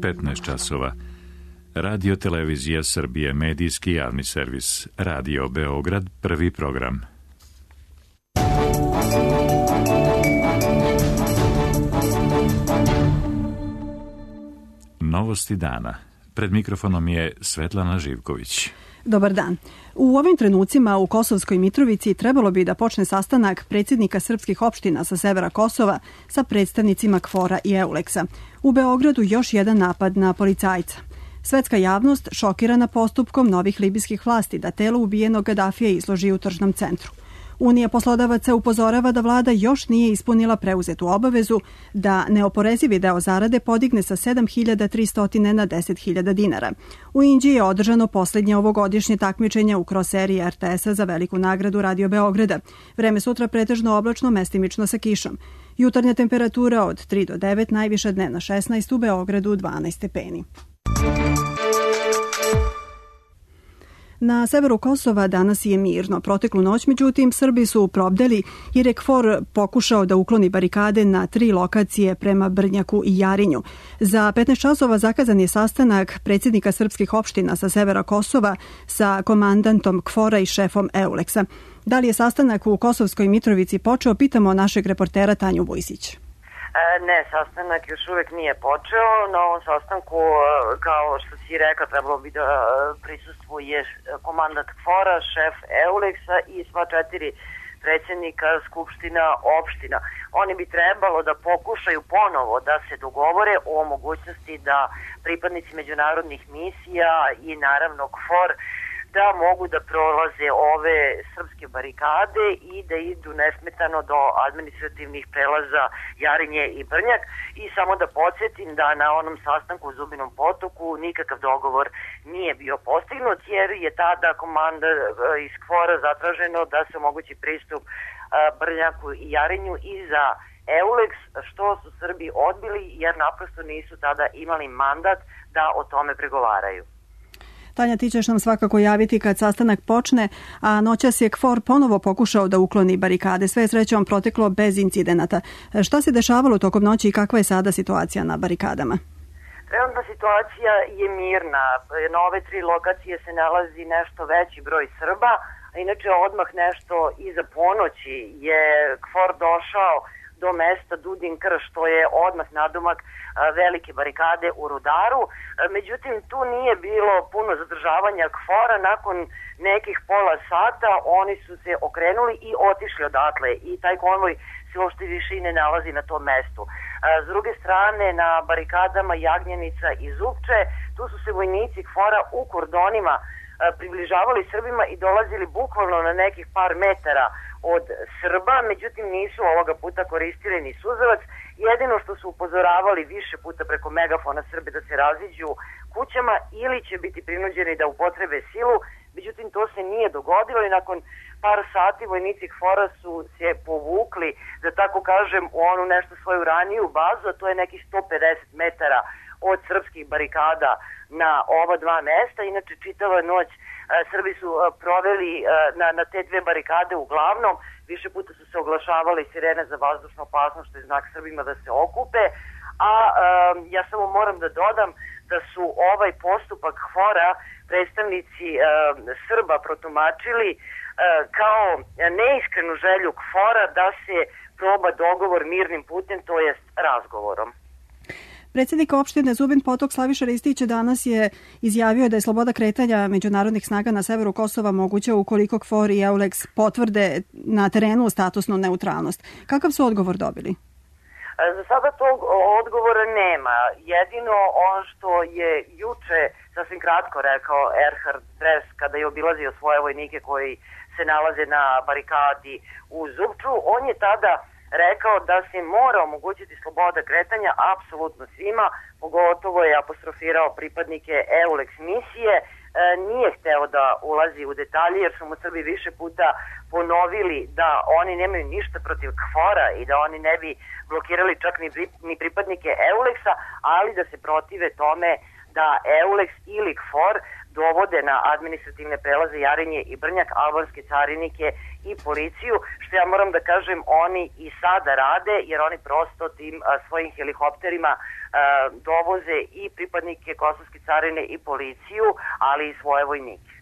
15 časova. Radio Televizija Srbije, medijski javni servis. Radio Beograd, prvi program. Novosti dana. Pred mikrofonom je Svetlana Živković. Dobar dan. U ovim trenucima u Kosovskoj Mitrovici trebalo bi da počne sastanak predsjednika srpskih opština sa severa Kosova sa predstavnicima KFOR-a i EULEX-a. U Beogradu još jedan napad na policajca. Svetska javnost šokirana postupkom novih libijskih vlasti da telo ubijenog Gadafija izloži u tržnom centru. Unija poslodavaca upozorava da vlada još nije ispunila preuzetu obavezu da neoporezivi deo zarade podigne sa 7.300 na 10.000 dinara. U Inđiji je održano posljednje ovogodišnje takmičenje u cross-seriji RTS-a za veliku nagradu Radio Beograda. Vreme sutra pretežno oblačno, mestimično sa kišom. Jutarnja temperatura od 3 do 9, najviša dnevna 16, u Beogradu 12 stepeni. Na severu Kosova danas je mirno. Proteklu noć, međutim, Srbi su probdeli jer je KFOR pokušao da ukloni barikade na 3 lokacije prema Brnjaku i Jarinju. Za 15 časova zakazan je sastanak predsjednika srpskih opština sa severa Kosova sa komandantom KFOR-a i šefom EULEX-a. Da li je sastanak u Kosovskoj Mitrovici počeo, pitamo našeg reportera Tanju Vujsić. Ne, sastanak još uvijek nije počeo. Na ovom sastanku, kao što si rekao, trebalo bi da prisustvuje komandant KFOR-a, šef EULEX-a i sva 4 predsjednika skupština opština. Oni bi trebalo da pokušaju ponovo da se dogovore o mogućnosti da pripadnici međunarodnih misija i naravno KFOR da mogu da prolaze ove srpske barikade i da idu nesmetano do administrativnih prelaza Jarinje i Brnjak. I samo da podsjetim da na onom sastanku u Zubinom Potoku nikakav dogovor nije bio postignut, jer je tada komanda iz KFOR-a zatraženo da se omogući pristup Brnjaku i Jarinju i za EULEX, što su Srbi odbili jer naprosto nisu tada imali mandat da o tome pregovaraju. Tanja, ti ćeš nam svakako javiti kad sastanak počne, a noćas je KFOR ponovo pokušao da ukloni barikade. Sve je srećom proteklo bez incidenata. Šta se dešavalo tokom noći i kakva je sada situacija na barikadama? Trenutna situacija je mirna. Na ove 3 lokacije se nalazi nešto veći broj Srba, a inače odmah nešto iza ponoći je KFOR došao do mesta Dudin Krš, što je odmah nadomak velike barikade u Rudaru. Međutim, tu nije bilo puno zadržavanja KFOR-a. Nakon nekih pola sata oni su se okrenuli i otišli odatle i taj konvoj se uopšte više i ne nalazi na tom mestu. S druge strane, na barikadama Jagnjenica i Zupče, tu su se vojnici KFOR-a u kordonima približavali Srbima i dolazili bukvalno na nekih par metara od Srba, međutim nisu ovoga puta koristili ni suzavac. Jedino što su upozoravali više puta preko megafona Srbe da se raziđu kućama ili će biti prinuđeni da upotrebe silu, međutim to se nije dogodilo i nakon par sati vojnici KFOR-a su se povukli, da tako kažem, u onu nešto svoju raniju bazu, a to je nekih 150 metara od srpskih barikada na ova 2 mesta. Inače, čitava noć Srbi su proveli na te 2 barikade uglavnom. Više puta su se oglašavali sirene za vazdušnu opasnost, što je znak Srbima da se okupe. A ja samo moram da dodam da su ovaj postupak KFOR-a predstavnici Srba protumačili kao neiskrenu želju KFOR-a da se proba dogovor mirnim putem, to jest razgovorom. Predsjednik opštine Zubin Potok Slaviša Ristić danas je izjavio da je sloboda kretanja međunarodnih snaga na severu Kosova moguća ukoliko KFOR i EULEX potvrde na terenu statusnu neutralnost. Kakav su odgovor dobili? Za sada tog odgovora nema. Jedino ono što je juče sasvim kratko rekao Erhard Dres kada je obilazio svoje vojnike koji se nalaze na barikadi u Zupču, on je tada rekao da se mora omogućiti sloboda kretanja apsolutno svima, pogotovo je apostrofirao pripadnike EULEX misije. Nije hteo da ulazi u detalje jer su mu Srbi više puta ponovili da oni nemaju ništa protiv KFOR-a i da oni ne bi blokirali čak ni pripadnike EULEX-a, ali da se protive tome da EULEX ili KFOR dovode na administrativne prelaze Jarinje i Brnjak albanske carinike i policiju, što ja moram da kažem oni i sada rade, jer oni prosto tim svojim helikopterima dovoze i pripadnike Kosovske carine i policiju, ali i svoje vojnike.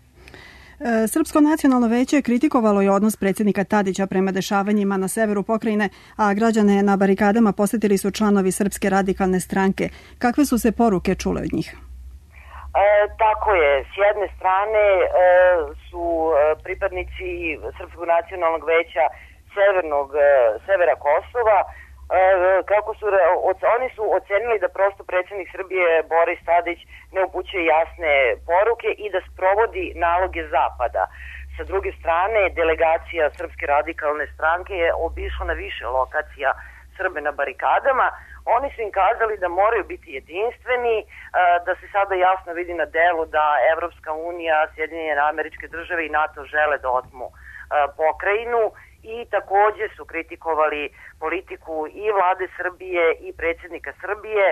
Srpsko nacionalno veće kritikovalo je odnos predsjednika Tadića prema dešavanjima na severu pokrajine, a građane na barikadama posetili su članovi Srpske radikalne stranke. Kakve su se poruke čule od njih? Tako je. S jedne strane su pripadnici Srpskog nacionalnog veća severa Kosova, oni su ocenili da prosto predsjednik Srbije Boris Tadić ne upućuje jasne poruke i da sprovodi naloge Zapada. Sa druge strane, delegacija Srpske radikalne stranke je obišla na više lokacija Srbe na barikadama. Oni su im kazali da moraju biti jedinstveni, da se sada jasno vidi na delu da Evropska unija, Sjedinjene Američke Države i NATO žele da otmu pokrajinu. I takođe su kritikovali politiku i vlade Srbije i predsjednika Srbije,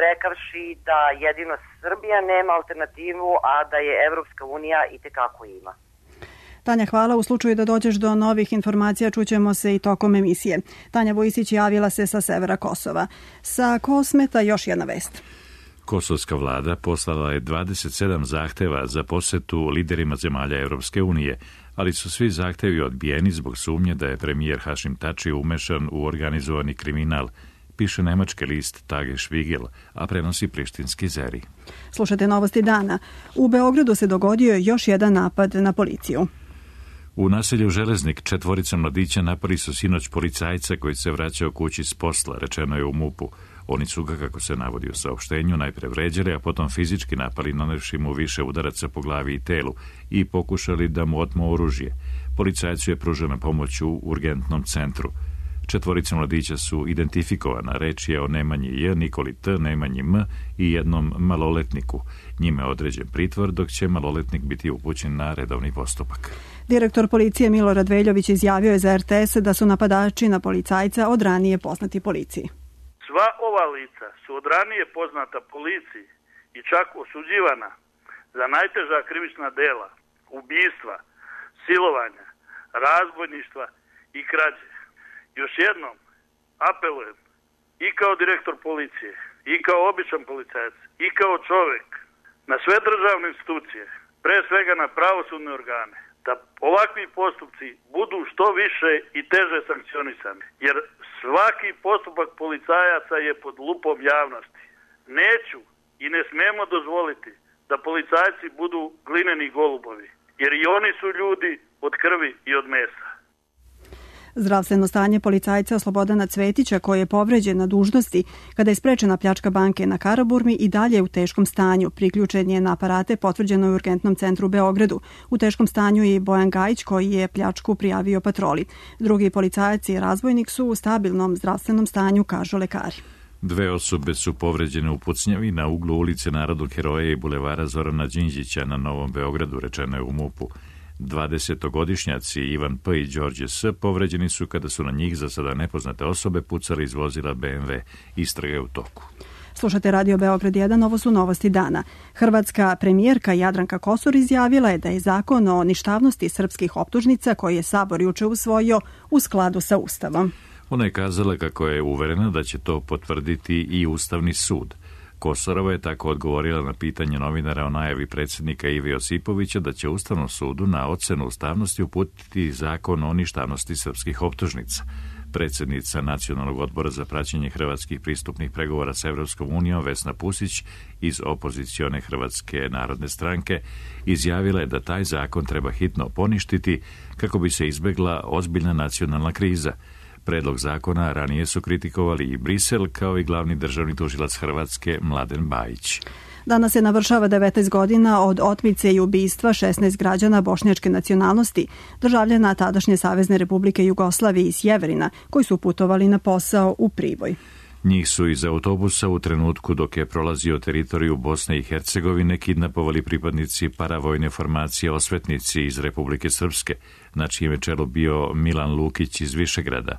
rekavši da jedino Srbija nema alternativu, a da je Evropska unija itekako ima. Tanja, hvala. U slučaju da dođeš do novih informacija, čućemo se i tokom emisije. Tanja Vojsić javila se sa severa Kosova. Sa Kosmeta još jedna vest. Kosovska vlada poslala je 27 zahteva za posetu liderima zemalja Evropske unije, ali su svi zahtevi odbijeni zbog sumnje da je premijer Hašim Tači umešan u organizovani kriminal, piše nemački list Tagesspiegel, a prenosi prištinski Zeri. Slušajte novosti dana. U Beogradu se dogodio još jedan napad na policiju. U naselju Železnik 4 mladića napali su sinoć policajca koji se vraćao kući s posla, rečeno je u MUP-u. Oni su ga, kako se navodi u saopštenju, najpre vređali, a potom fizički napali, nanevši mu više udaraca po glavi i telu i pokušali da mu otmu oružje. Policajcu je pružena pomoć u urgentnom centru. 4 mladića su identifikovana. Reč je o Nemanji J, Nikoli T, Nemanji M i jednom maloletniku. Njime je određen pritvor, dok će maloletnik biti upućen na redovni postupak. Direktor policije Milorad Veljović izjavio je za RTS da su napadači na policajca od ranije poznati policiji. Sva ova lica su od ranije poznata policiji i čak osuđivana za najteža krivična dela, ubistva, silovanja, razbojništva i krađe. Još jednom apelujem i kao direktor policije, i kao običan policajac, i kao čovek na sve državne institucije, pre svega na pravosudne organe, da ovakvi postupci budu što više i teže sankcionisani, jer svaki postupak policajaca je pod lupom javnosti. Neću i ne smemo dozvoliti da policajci budu glineni golubovi, jer i oni su ljudi od krvi i od mesa. Zdravstveno stanje policajca Slobodana Cvetića, koji je povređen na dužnosti kada je sprečena pljačka banke na Karaburmi, i dalje je u teškom stanju. Priključen je na aparate, potvrđeno je u urgentnom centru u Beogradu. U teškom stanju je i Bojan Gajić, koji je pljačku prijavio patroli. Drugi policajac i razbojnik su u stabilnom zdravstvenom stanju, kažu lekari. 2 osobe su povređene u pucnjavi na uglu ulice Narodnog heroja i bulevara Zorana Đinđića na Novom Beogradu, rečeno je u MUP-u. 20-godišnjaci Ivan P. i Đorđe S. povređeni su kada su na njih za sada nepoznate osobe pucali iz vozila BMW. Istraga je u toku. Slušate Radio Beograd 1, ovo su novosti dana. Hrvatska premijerka Jadranka Kosor izjavila je da je zakon o ništavnosti srpskih optužnica, koji je Sabor juče usvojio, u skladu sa Ustavom. Ona je kazala kako je uverena da će to potvrditi i Ustavni sud. Kosorova je tako odgovorila na pitanje novinara o najavi predsjednika Ive Josipovića da će Ustavnom sudu na ocenu ustavnosti uputiti zakon o ništavnosti srpskih optužnica. Predsjednica Nacionalnog odbora za praćenje hrvatskih pristupnih pregovora s Evropskom unijom Vesna Pusić iz opozicione Hrvatske narodne stranke izjavila je da taj zakon treba hitno poništiti kako bi se izbjegla ozbiljna nacionalna kriza. Predlog zakona ranije su kritikovali i Brisel, kao i glavni državni tužilac Hrvatske Mladen Bajić. Danas se navršava 19 godina od otmice i ubistva 16 građana bošnjačke nacionalnosti, državljana tadašnje Savezne Republike Jugoslavije iz Sjeverina, koji su putovali na posao u Priboj. Njih su iz autobusa u trenutku dok je prolazio teritoriju Bosne i Hercegovine kidnapovali pripadnici paravojne formacije Osvetnici iz Republike Srpske, na čijem je čelu bio Milan Lukić iz Višegrada.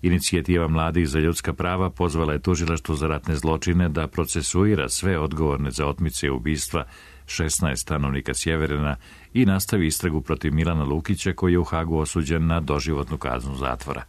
Inicijativa mladih za ljudska prava pozvala je tužilaštvo za ratne zločine da procesuira sve odgovorne za otmice i ubistva 16 stanovnika Sjeverina i nastavi istragu protiv Milana Lukića, koji je u Hagu osuđen na doživotnu kaznu zatvora.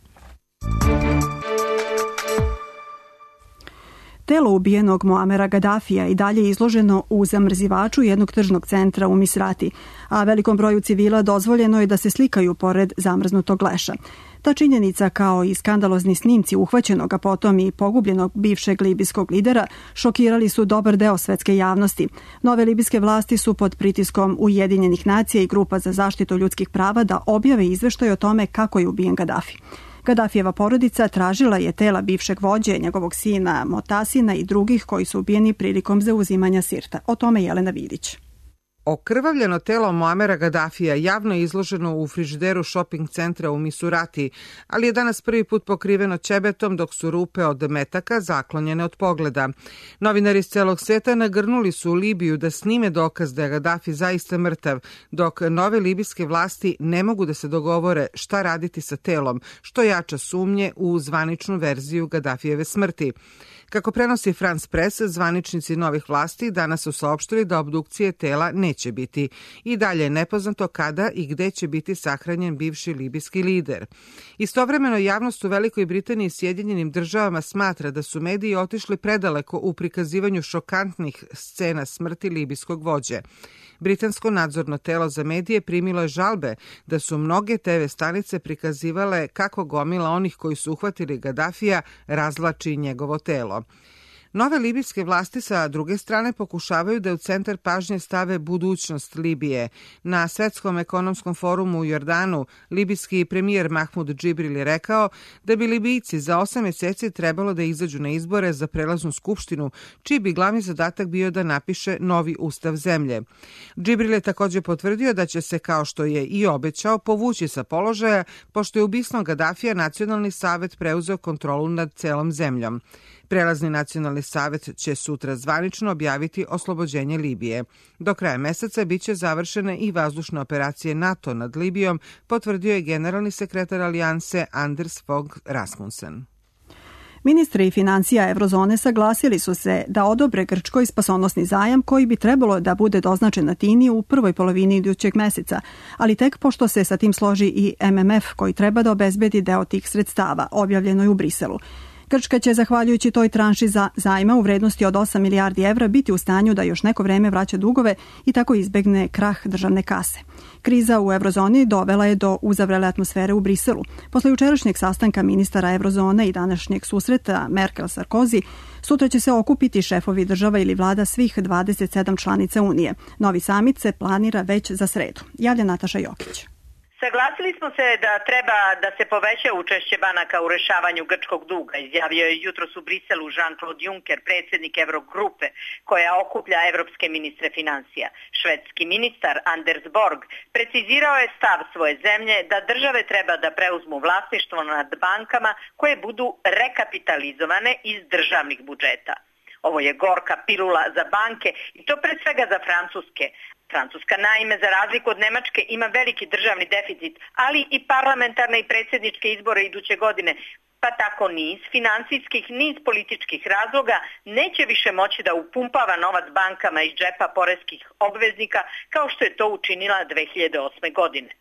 Telo ubijenog Muamera Gadafija i dalje izloženo u zamrzivaču jednog tržnog centra u Misrati, a velikom broju civila dozvoljeno je da se slikaju pored zamrznutog leša. Ta činjenica, kao i skandalozni snimci uhvaćenog, a potom i pogubljenog bivšeg libijskog lidera, šokirali su dobar deo svetske javnosti. Nove libijske vlasti su pod pritiskom Ujedinjenih nacija i grupa za zaštitu ljudskih prava da objave izveštaj o tome kako je ubijen Gadafi. Gadafijeva porodica tražila je tela bivšeg vođe, njegovog sina Motasina i drugih koji su ubijeni prilikom zauzimanja Sirta. O tome Jelena Vidić. Okrvavljeno telo Muamera Gadafija javno je izloženo u frižideru šoping centra u Misurati, ali je danas prvi put pokriveno ćebetom, dok su rupe od metaka zaklonjene od pogleda. Novinari iz celog sveta nagrnuli su u Libiju da snime dokaz da je Gadafi zaista mrtav, dok nove libijske vlasti ne mogu da se dogovore šta raditi sa telom, što jača sumnje u zvaničnu verziju Gadafijeve smrti. Kako prenosi France Press, zvaničnici novih vlasti danas su saopštili da obdukcije tela neće biti. I dalje je nepoznato kada i gde će biti sahranjen bivši libijski lider. Istovremeno, javnost u Velikoj Britaniji i Sjedinjenim državama smatra da su mediji otišli predaleko u prikazivanju šokantnih scena smrti libijskog vođe. Britansko nadzorno telo za medije primilo je žalbe da su mnoge TV stanice prikazivale kako gomila onih koji su uhvatili Gadafija razvlači njegovo telo. Nove libijske vlasti sa druge strane pokušavaju da u centar pažnje stave budućnost Libije. Na Svetskom ekonomskom forumu u Jordanu, libijski premijer Mahmud Džibril je rekao da bi Libijci za 8 mjeseci trebalo da izađu na izbore za prelaznu skupštinu, čiji bi glavni zadatak bio da napiše novi ustav zemlje. Džibril je također potvrdio da će se, kao što je i obećao, povući sa položaja, pošto je ubistvom Gadafija Nacionalni savet preuzeo kontrolu nad celom zemljom. Prelazni nacionalni savet će sutra zvanično objaviti oslobođenje Libije. Do kraja meseca biće završene i vazdušne operacije NATO nad Libijom, potvrdio je generalni sekretar alijanse Anders Fogh Rasmussen. Ministri financija Eurozone saglasili su se da odobre Grčkoj spasonosni zajam koji bi trebalo da bude doznačen Atini u prvoj polovini idućeg meseca, ali tek pošto se sa tim složi i MMF koji treba da obezbedi deo tih sredstava, objavljeno je u Briselu. Grčka će, zahvaljujući toj tranši za zajma u vrednosti od 8 milijardi evra, biti u stanju da još neko vreme vraća dugove i tako izbegne krah državne kase. Kriza u Eurozoni dovela je do uzavrele atmosfere u Briselu. Posle jučerašnjeg sastanka ministara Eurozone i današnjeg susreta Merkel-Sarkozy, sutra će se okupiti šefovi država ili vlada svih 27 članica Unije. Novi samit se planira već za sredu. Javlja Nataša Jokić. Saglasili smo se da treba da se poveća učešće banaka u rešavanju grčkog duga, izjavio je jutros u Briselu Jean-Claude Juncker, predsjednik Eurogrupe, koja okuplja evropske ministre financija. Švedski ministar Anders Borg precizirao je stav svoje zemlje da države treba da preuzmu vlasništvo nad bankama koje budu rekapitalizovane iz državnih budžeta. Ovo je gorka pilula za banke i to pre svega za francuske. Francuska, naime, za razliku od Nemačke, ima veliki državni deficit, ali i parlamentarne i predsjedničke izbore iduće godine, pa tako niz finansijskih, niz političkih razloga neće više moći da upumpava novac bankama iz džepa poreskih obveznika kao što je to učinila 2008. godine.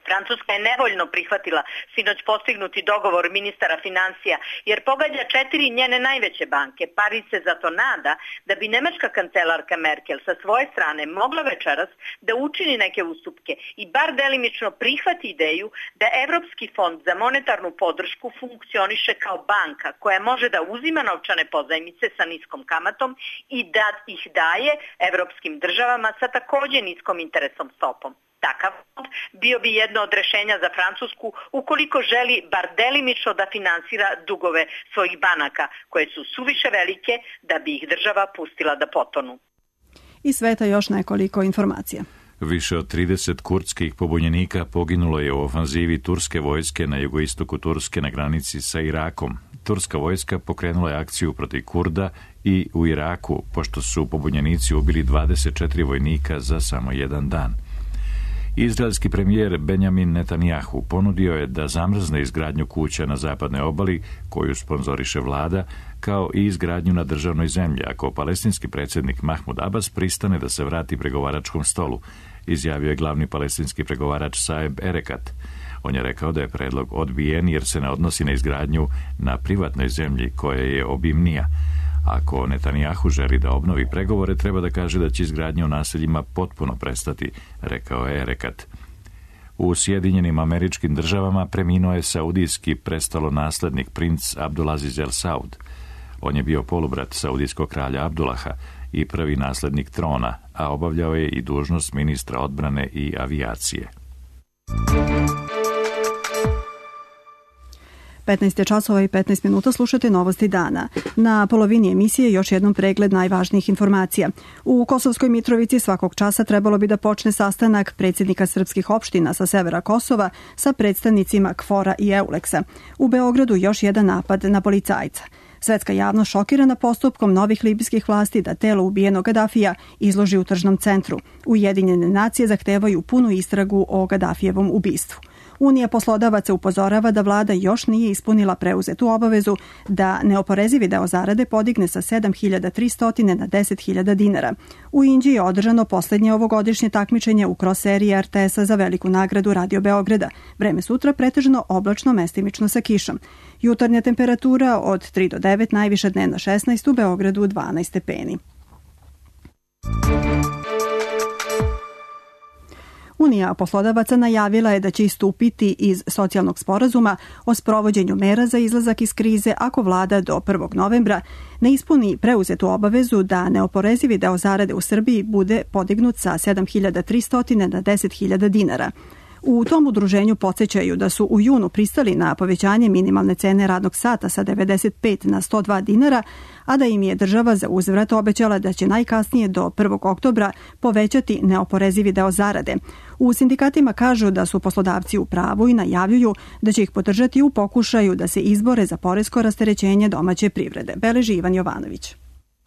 Francuska je nevoljno prihvatila sinoć postignuti dogovor ministara financija jer pogađa 4 njene najveće banke. Pariz se zato nada da bi nemačka kancelarka Merkel sa svoje strane mogla večeras da učini neke ustupke i bar delimično prihvati ideju da Evropski fond za monetarnu podršku funkcioniše kao banka koja može da uzima novčane pozajmice sa niskom kamatom i da ih daje evropskim državama sa također niskom interesom stopom. Takav fond bio bi jedno od rešenja za Francusku ukoliko želi bar delimično da finansira dugove svojih banaka, koje su suviše velike da bi ih država pustila da potonu. I sveta još nekoliko informacija. Više od 30 kurdskih pobunjenika poginulo je u ofanzivi turske vojske na jugoistoku Turske na granici sa Irakom. Turska vojska pokrenula je akciju protiv Kurda i u Iraku, pošto su pobunjenici ubili 24 vojnika za samo jedan dan. Izraelski premijer Benjamin Netanjahu ponudio je da zamrzne izgradnju kuća na zapadnoj obali koju sponzoriše vlada, kao i izgradnju na državnoj zemlji, ako palestinski predsjednik Mahmud Abbas pristane da se vrati pregovaračkom stolu, izjavio je glavni palestinski pregovarač Saeb Erekat. On je rekao da je predlog odbijen jer se ne odnosi na izgradnju na privatnoj zemlji koja je obimnija. Ako Netanjahu želi da obnovi pregovore, treba da kaže da će izgradnja u naseljima potpuno prestati, rekao je Erekat. U Sjedinjenim Američkim Državama preminuo je saudijski prestolonaslednik princ Abdulaziz El Saud. On je bio polubrat saudijskog kralja Abdullaha i prvi naslednik trona, a obavljao je i dužnost ministra odbrane i avijacije. 15 časova i 15 minuta, slušate Novosti dana. Na polovini emisije još jednom pregled najvažnijih informacija. U Kosovskoj Mitrovici svakog časa trebalo bi da počne sastanak predsjednika srpskih opština sa severa Kosova sa predstavnicima KFOR-a i EULEX-a. U Beogradu još jedan napad na policajca. Svetska javnost šokirana postupkom novih libijskih vlasti da telo ubijenog Gadafija izloži u tržnom centru. Ujedinjene nacije zahtevaju punu istragu o Gadafijevom ubistvu. Unija poslodavaca upozorava da vlada još nije ispunila preuzetu obavezu da neoporezivi deo zarade podigne sa 7.300 na 10.000 dinara. U Inđiji je održano posljednje ovogodišnje takmičenje u cross seriji RTS-a za veliku nagradu Radio Beograda. Vreme sutra pretežno oblačno, mestimično sa kišom. Jutarnja temperatura od 3 do 9, najviša dnevna 16, u Beogradu 12 stepeni. Unija poslodavaca najavila je da će istupiti iz socijalnog sporazuma o sprovođenju mera za izlazak iz krize ako vlada do 1. novembra ne ispuni preuzetu obavezu da neoporezivi deo zarade u Srbiji bude podignut sa 7.300 na 10.000 dinara. U tom udruženju podsjećaju da su u junu pristali na povećanje minimalne cene radnog sata sa 95 na 102 dinara, a da im je država za uzvrat obećala da će najkasnije do 1. oktobra povećati neoporezivi deo zarade. U sindikatima kažu da su poslodavci u pravu i najavljuju da će ih podržati u pokušaju da se izbore za poresko rasterećenje domaće privrede. Beleži Ivan Jovanović.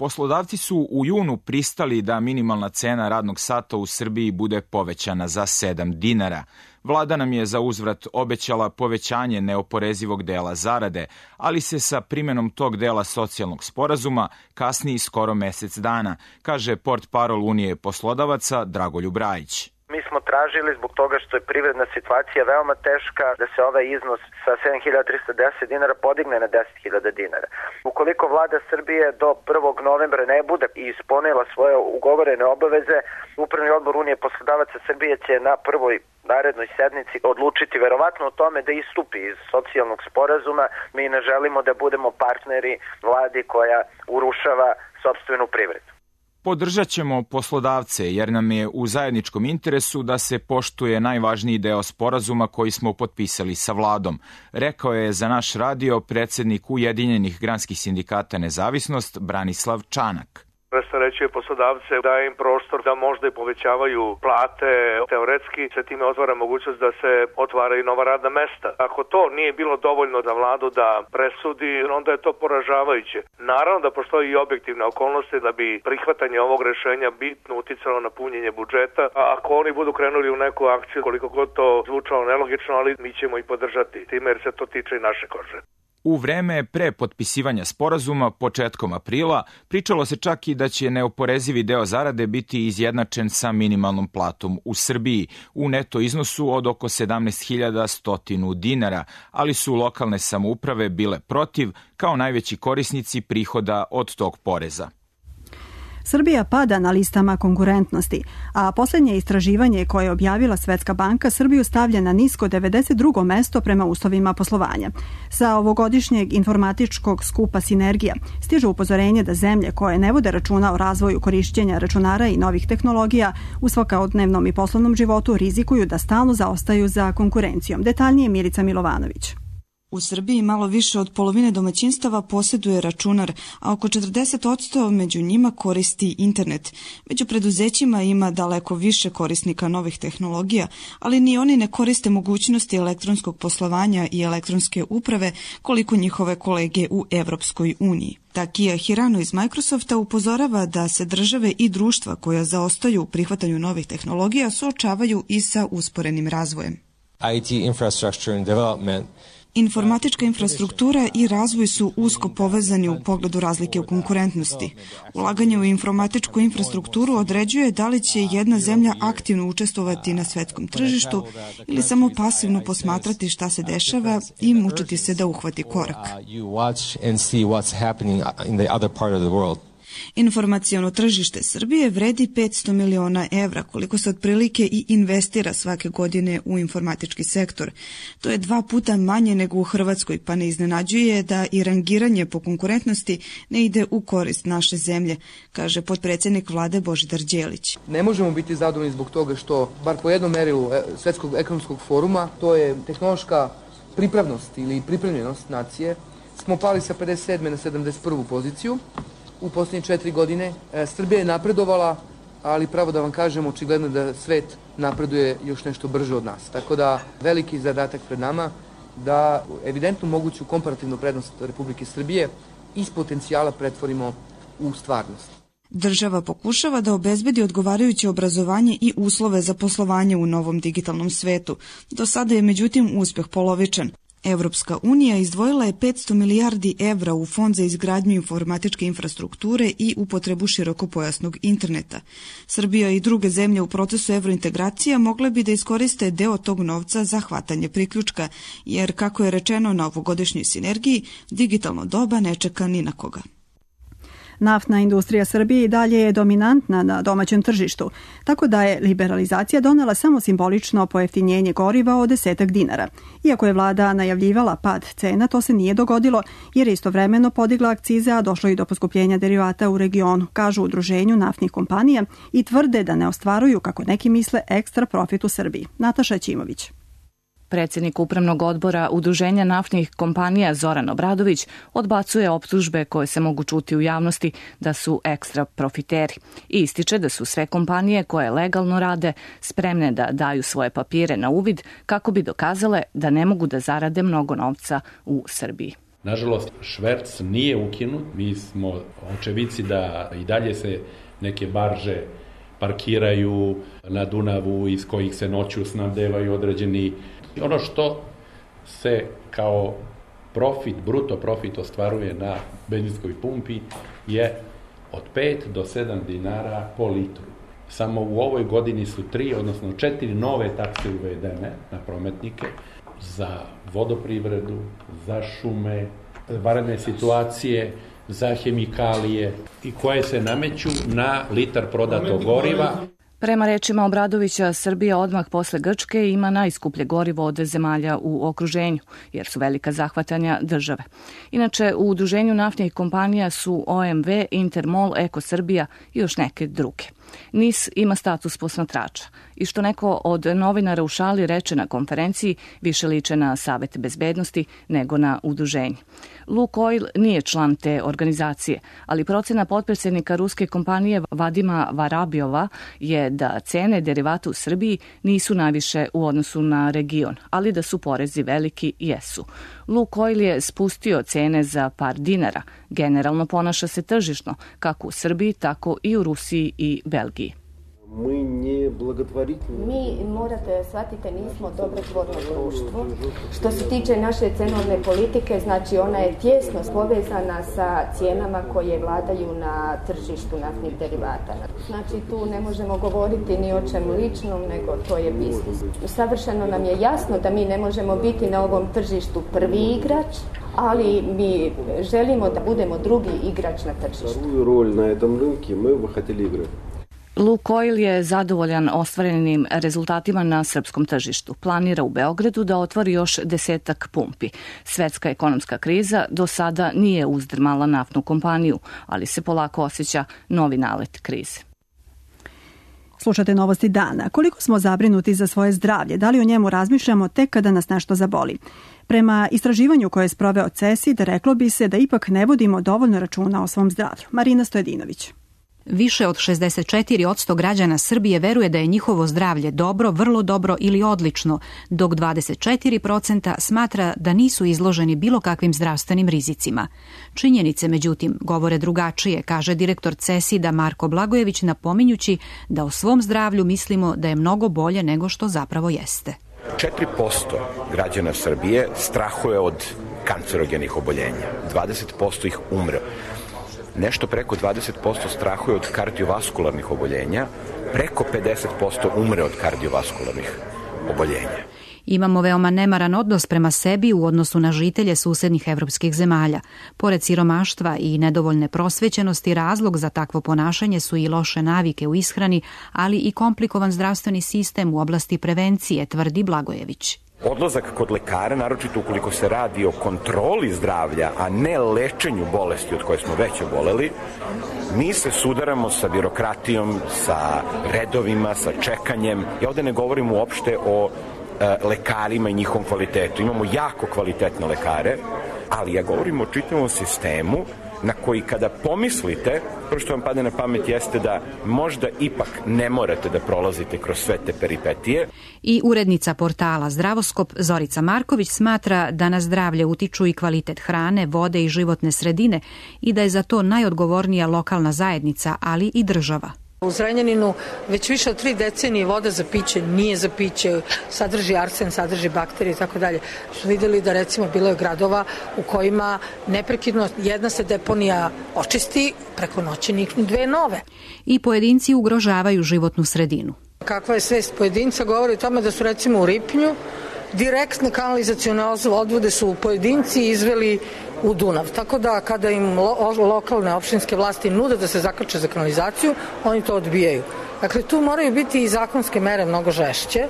Poslodavci su u junu pristali da minimalna cena radnog sata u Srbiji bude povećana za 7 dinara. Vlada nam je za uzvrat obećala povećanje neoporezivog dela zarade, ali se sa primjenom tog dela socijalnog sporazuma kasni skoro mesec dana, kaže portparol Unije poslodavaca Dragoljub Rajić. Mi smo tražili zbog toga što je privredna situacija veoma teška da se ovaj iznos sa 7.310 dinara podigne na 10.000 dinara. Ukoliko vlada Srbije do 1. novembra ne bude ispunila svoje ugovorene obaveze, Upravni odbor Unije poslodavaca Srbije će na prvoj narednoj sednici odlučiti verovatno o tome da istupi iz socijalnog sporazuma. Mi ne želimo da budemo partneri vladi koja urušava sopstvenu privredu. Podržat ćemo poslodavce jer nam je u zajedničkom interesu da se poštuje najvažniji deo sporazuma koji smo potpisali sa vladom, rekao je za naš radio predsjednik Ujedinjenih granskih sindikata Nezavisnost Branislav Čanak. Rasterećuje poslodavce, daje im prostor da možda i povećavaju plate, teoretski se time otvara mogućnost da se otvaraju nova radna mesta. Ako to nije bilo dovoljno za vladu da presudi, onda je to poražavajuće. Naravno da postoji i objektivne okolnosti da bi prihvatanje ovog rešenja bitno uticalo na punjenje budžeta, a ako oni budu krenuli u neku akciju, koliko god to zvučalo nelogično, ali mi ćemo i podržati time jer se to tiče i naše kože. U vreme pre potpisivanja sporazuma, početkom aprila, pričalo se čak i da će neoporezivi deo zarade biti izjednačen sa minimalnom platom u Srbiji u neto iznosu od oko 17.100 dinara, ali su lokalne samouprave bile protiv kao najveći korisnici prihoda od tog poreza. Srbija pada na listama konkurentnosti, a posljednje istraživanje koje je objavila Svetska banka Srbiju stavlja na nisko 92. mesto prema uslovima poslovanja. Sa ovogodišnjeg informatičkog skupa Sinergija stiže upozorenje da zemlje koje ne vode računa o razvoju korišćenja računara i novih tehnologija u svakodnevnom i poslovnom životu rizikuju da stalno zaostaju za konkurencijom. Detaljnije Milica Milovanović. U Srbiji malo više od polovine domaćinstava posjeduje računar, a oko 40% među njima koristi internet. Među preduzećima ima daleko više korisnika novih tehnologija, ali ni oni ne koriste mogućnosti elektronskog poslovanja i elektronske uprave koliko njihove kolege u Evropskoj uniji. Takija Hirano iz Microsofta upozorava da se države i društva koja zaostaju u prihvatanju novih tehnologija suočavaju i sa usporenim razvojem. IT infrastructure and development. Informatička infrastruktura i razvoj su usko povezani u pogledu razlike u konkurentnosti. Ulaganje u informatičku infrastrukturu određuje da li će jedna zemlja aktivno učestvovati na svetskom tržištu ili samo pasivno posmatrati šta se dešava i mučiti se da uhvati korak. Informaciono tržište Srbije vredi 500 miliona evra, koliko se otprilike i investira svake godine u informatički sektor. To je 2 puta manje nego u Hrvatskoj, pa ne iznenađuje da i rangiranje po konkurentnosti ne ide u korist naše zemlje, kaže potpredsjednik vlade Božidar Đelić. Ne možemo biti zadovoljni zbog toga što, bar po jednom merilu Svetskog ekonomskog foruma, to je tehnološka pripravnost ili pripremljenost nacije, smo pali sa 57. na 71. poziciju. U posljednje 4 godine Srbija je napredovala, ali pravo da vam kažem, očigledno da svet napreduje još nešto brže od nas. Tako da veliki zadatak pred nama da evidentnu moguću komparativnu prednost Republike Srbije iz potencijala pretvorimo u stvarnost. Država pokušava da obezbedi odgovarajuće obrazovanje i uslove za poslovanje u novom digitalnom svetu. Do sada je međutim uspeh polovičan. Evropska unija izdvojila je 500 milijardi evra u fond za izgradnju informatičke infrastrukture i upotrebu širokopojasnog interneta. Srbija i druge zemlje u procesu evrointegracija mogle bi da iskoriste deo tog novca za hvatanje priključka, jer, kako je rečeno na ovogodišnjoj sinergiji, digitalno doba ne čeka ni na koga. Naftna industrija Srbije i dalje je dominantna na domaćem tržištu, tako da je liberalizacija donela samo simbolično pojeftinjenje goriva od 10 dinara. Iako je vlada najavljivala pad cena, to se nije dogodilo jer je istovremeno podigla akcize, a došlo i do poskupljenja derivata u regionu, kažu u udruženju naftnih kompanija i tvrde da ne ostvaruju, kako neki misle, ekstra profit u Srbiji. Nataša Ćimović. Predsjednik Upravnog odbora Udruženja naftnih kompanija Zoran Obradović odbacuje optužbe koje se mogu čuti u javnosti da su ekstra profiteri i ističe da su sve kompanije koje legalno rade spremne da daju svoje papire na uvid kako bi dokazale da ne mogu da zarade mnogo novca u Srbiji. Nažalost, šverc nije ukinut. Mi smo očevici da i dalje se neke barže parkiraju na Dunavu iz kojih se noću snabdevaju određeni. Ono što se kao profit, bruto profit ostvaruje na benzinskoj pumpi je od 5 do 7 dinara po litru. Samo u ovoj godini su 3, odnosno 4 nove takse uvedene na prometnike za vodoprivredu, za šume, vanredne situacije, za hemikalije i koje se nameću na litar prodatog goriva. Prema rečima Obradovića, Srbija odmah posle Grčke ima najskuplje gorivo od zemalja u okruženju, jer su velika zahvatanja države. Inače, u udruženju naftnih kompanija su OMV, Intermol, Eko Srbija i još neke druge. NIS ima status posmatrača i što neko od novinara u šali reče na konferenciji, više liče na Savet bezbednosti nego na udruženje. Lukoil nije član te organizacije, ali procena potpredsjednika ruske kompanije Vadima Varabijova je da cene derivata u Srbiji nisu najviše u odnosu na region, ali da su porezi veliki jesu. Lukoil je spustio cene za par dinara. Generalno ponaša se tržišno, kako u Srbiji, tako i u Rusiji i Belgiji. Mi, morate shvatite, nismo dobrotvorno društvo. Što se tiče naše cenovne politike, znači ona je tjesno povezana sa cijenama koje vladaju na tržištu naftnih derivata. Znači tu ne možemo govoriti ni o čemu ličnom, nego to je biznis. Savršeno nam je jasno da mi ne možemo biti na ovom tržištu prvi igrač, ali mi želimo da budemo drugi igrač na tržištu. Lukoil je zadovoljan ostvarenim rezultatima na srpskom tržištu. Planira u Beogradu da otvori još 10 pumpi. Svetska ekonomska kriza do sada nije uzdrmala naftnu kompaniju, ali se polako osjeća novi nalet krize. Slušate novosti dana. Koliko smo zabrinuti za svoje zdravlje? Da li o njemu razmišljamo tek kada nas nešto zaboli? Prema istraživanju koje je sproveo CESID, reklo bi se da ipak ne vodimo dovoljno računa o svom zdravlju. Marina Stojedinović. Više od 64% građana Srbije veruje da je njihovo zdravlje dobro, vrlo dobro ili odlično, dok 24% smatra da nisu izloženi bilo kakvim zdravstvenim rizicima. Činjenice, međutim, govore drugačije, kaže direktor CESID-a Marko Blagojević, napominjući da o svom zdravlju mislimo da je mnogo bolje nego što zapravo jeste. 4% građana Srbije strahuje od kancerogenih oboljenja, 20% ih umre. Nešto preko 20% strahuje od kardiovaskularnih oboljenja, preko 50% umre od kardiovaskularnih oboljenja. Imamo veoma nemaran odnos prema sebi u odnosu na žitelje susednih evropskih zemalja. Pored siromaštva i nedovoljne prosvećenosti, razlog za takvo ponašanje su i loše navike u ishrani, ali i komplikovan zdravstveni sistem u oblasti prevencije, tvrdi Blagojević. Odlazak kod lekara, naročito ukoliko se radi o kontroli zdravlja, a ne lečenju bolesti od koje smo već oboleli, mi se sudaramo sa birokratijom, sa redovima, sa čekanjem. Ja ovde ne govorim uopšte o lekarima i njihovom kvalitetu. Imamo jako kvalitetne lekare, ali ja govorim o čitavom sistemu na koji kada pomislite, prvo što vam padne na pamet jeste da možda ipak ne morate da prolazite kroz sve te peripetije. I urednica portala Zdravoskop Zorica Marković smatra da na zdravlje utiču i kvalitet hrane, vode i životne sredine i da je za to najodgovornija lokalna zajednica, ali i država. U Zrenjaninu već više od 3 decenije voda za piće nije za piće, sadrži arsen, sadrži bakterije i tako dalje. Su vidjeli da recimo bilo je gradova u kojima neprekidno jedna se deponija očisti, preko noći niknu 2 nove. I pojedinci ugrožavaju životnu sredinu. Kakva je svest pojedinca govori o tome da su recimo u Ripnju direktne kanalizacione odvode su pojedinci izveli u Dunav. Tako da kada im lokalne opštinske vlasti nude da se zakače za kanalizaciju, oni to odbijaju. Dakle, tu moraju biti i zakonske mere mnogo žešće.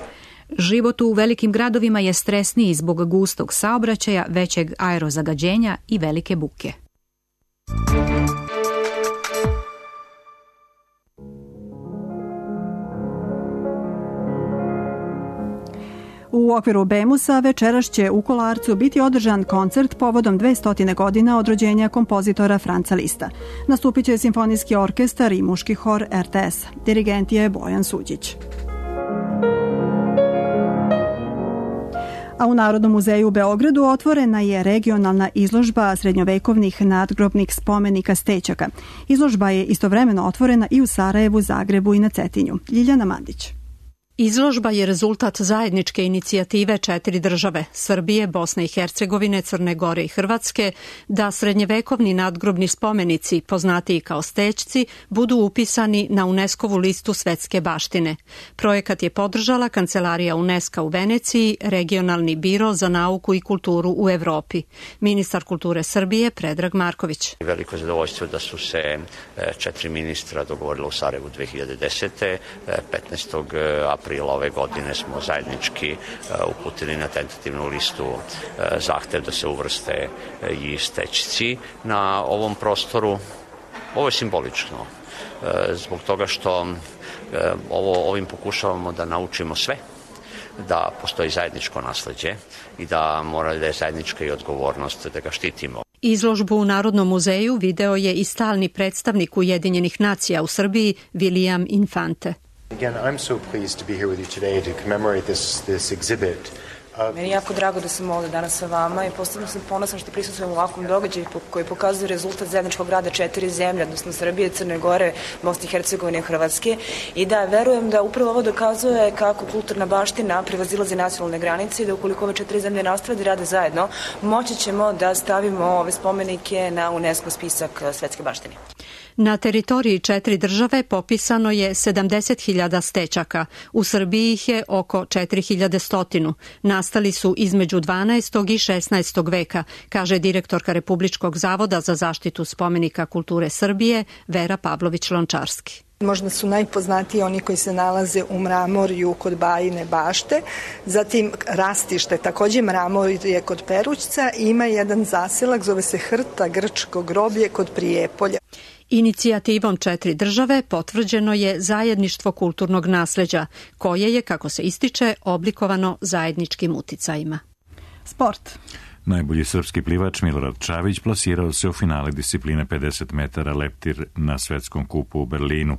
Život u velikim gradovima je stresniji zbog gustog saobraćaja, većeg aerozagađenja i velike buke. U okviru Bemusa večeras će u Kolarcu biti održan koncert povodom 200 godina od rođenja kompozitora Franca Lista. Nastupit će simfonijski orkestar i muški hor RTS. Dirigent je Bojan Suđić. A u Narodnom muzeju u Beogradu otvorena je regionalna izložba srednjovekovnih nadgrobnih spomenika Stećaka. Izložba je istovremeno otvorena i u Sarajevu, Zagrebu i na Cetinju. Ljiljana Mandić. Izložba je rezultat zajedničke inicijative 4 države, Srbije, Bosne i Hercegovine, Crne Gore i Hrvatske, da srednjevekovni nadgrobni spomenici, poznatiji kao stećci, budu upisani na UNESCO-vu listu svetske baštine. Projekat je podržala Kancelarija UNESCO u Veneciji, Regionalni biro za nauku i kulturu u Evropi. Ministar kulture Srbije Predrag Marković. Veliko zadovoljstvo da su se 4 ministra dogovorila u Sarajevu 2010. 15. aprila ove godine smo zajednički uputili na tentativnu listu zahtev da se uvrste i stećci na ovom prostoru. Ovo je simbolično, zbog toga što ovim pokušavamo da naučimo sve, da postoji zajedničko nasleđe i da mora da je zajednička i odgovornost da ga štitimo. Izložbu u Narodnom muzeju video je i stalni predstavnik Ujedinjenih nacija u Srbiji, William Infante. Again, I'm so pleased to be here with you today to commemorate this exhibit. Meni je jako drago da sam ovde danas sa vama i posebno sam ponosna što prisustvujem u ovakvom događaju koji pokazuje rezultat zajedničkog rada 4 zemlje, odnosno Srbije, Crne Gore, Bosne i Hercegovine i Hrvatske, i da verujem da upravo ovo dokazuje kako kulturna baština prevazilazi nacionalne granice i da ukoliko ove 4 zemlje nastave da rade zajedno, moći ćemo da stavimo ove spomenike na UNESCO spisak svetske baštine. Na teritoriji 4 države popisano je 70.000 stećaka. U Srbiji ih je oko 4.100. Nastali su između 12. i 16. veka, kaže direktorka Republičkog zavoda za zaštitu spomenika kulture Srbije Vera Pavlović-Lončarski. Možda su najpoznatiji oni koji se nalaze u Mramorju kod Bajine bašte, zatim Rastište, takođe Mramorje kod Perućca, i ima jedan zaselak, zove se Hrta, grčko groblje kod Prijepolja. Inicijativom 4 države potvrđeno je zajedništvo kulturnog nasleđa, koje je, kako se ističe, oblikovano zajedničkim uticajima. Sport. Najbolji srpski plivač Milorad Čavić plasirao se u finale discipline 50 metara leptir na svetskom kupu u Berlinu.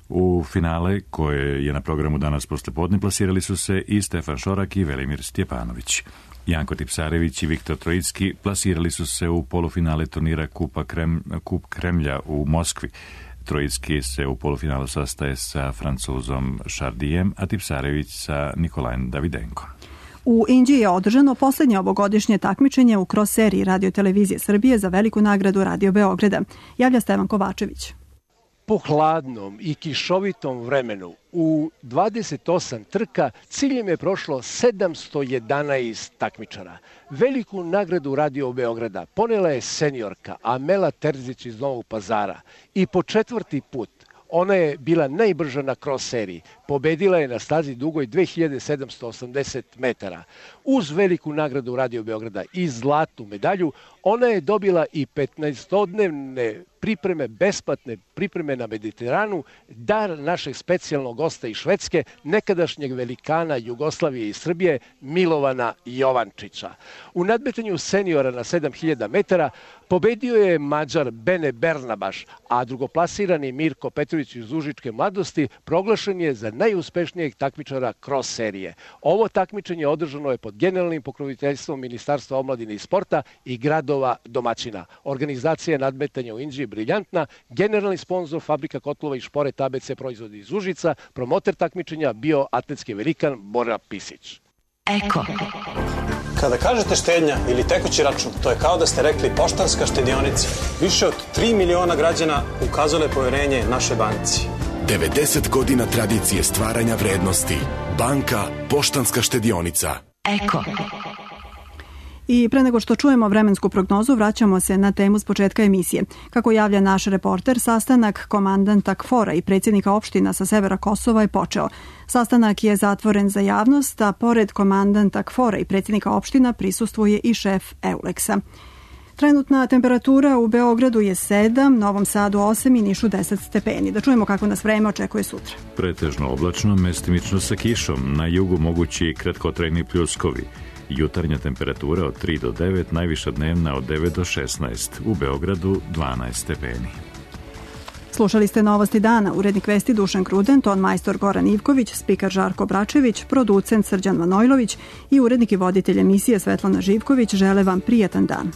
U finale, koje je na programu danas poslepodne, plasirali su se i Stefan Šorak i Velimir Stjepanović. Janko Tipsarević i Viktor Trojicki plasirali su se u polufinale turnira Kup Kremlja u Moskvi. Trojicki se u polufinalu sastaje sa Francuzom Chardijem, a Tipsarević sa Nikolajem Davidenkom. U Inđiji je održano poslednje ovogodišnje takmičenje u cross seriji Radio televizije Srbije za veliku nagradu Radio Beograda. Javlja Stevan Kovačević. Po hladnom i kišovitom vremenu u 28 trka ciljem je prošlo 711 takmičara. Veliku nagradu Radio Beograda ponela je seniorka Amela Terzić iz Novog Pazara i po 4. put ona je bila najbrža na cross seriji. Pobedila je na stazi dugoj 2780 metara. Uz veliku nagradu Radio Beograda i zlatnu medalju, ona je dobila i 15-dnevne pripreme, besplatne pripreme na Mediteranu, dar našeg specijalnog gosta iz Švedske, nekadašnjeg velikana Jugoslavije i Srbije, Milovana Jovančića. U nadmetanju seniora na 7000 metara pobedio je Mađar Bene Bernabaš, a drugoplasirani Mirko Petrović iz Užičke mladosti proglašen je za najuspešnijeg takmičara cross serije. Ovo takmičenje održano je pod generalnim pokroviteljstvom Ministarstva omladine i sporta i gradova domaćina. Organizacija nadmetanja u Inđiji briljantna, generalni sponsor Fabrika kotlova i šporet ABC proizvodi iz Užica, promoter takmičenja bio atletski velikan Bora Pisić. Eko. Kada kažete štednja ili tekući račun, to je kao da ste rekli Poštanska štedionica. Više od 3 miliona građana ukazale poverenje našoj banci. 90 godina tradicije stvaranja vrednosti. Banka Poštanska štedionica. Eko. I pre nego što čujemo vremensku prognozu, vraćamo se na temu s početka emisije. Kako javlja naš reporter, sastanak komandanta KFOR-a i predsjednika opština sa severa Kosova je počeo. Sastanak je zatvoren za javnost, a pored komandanta KFOR-a i predsjednika opština prisustvuje i šef EULEX-a. Trenutna temperatura u Beogradu je 7, Novom Sadu 8 i Nišu 10 stepeni. Da čujemo kako nas vreme očekuje sutra. Pretežno oblačno, mestimično sa kišom. Na jugu mogući kratkotrajni pljuskovi. Jutarnja temperatura od 3 do 9, najviša dnevna od 9 do 16. U Beogradu 12 stepeni. Slušali ste Novosti dana, urednik vesti Dušan Kruden, ton majstor Goran Ivković, spikar Žarko Bračević, producent Srđan Manojlović i urednik i voditelj emisije Svetlana Živković žele vam prijatan dan.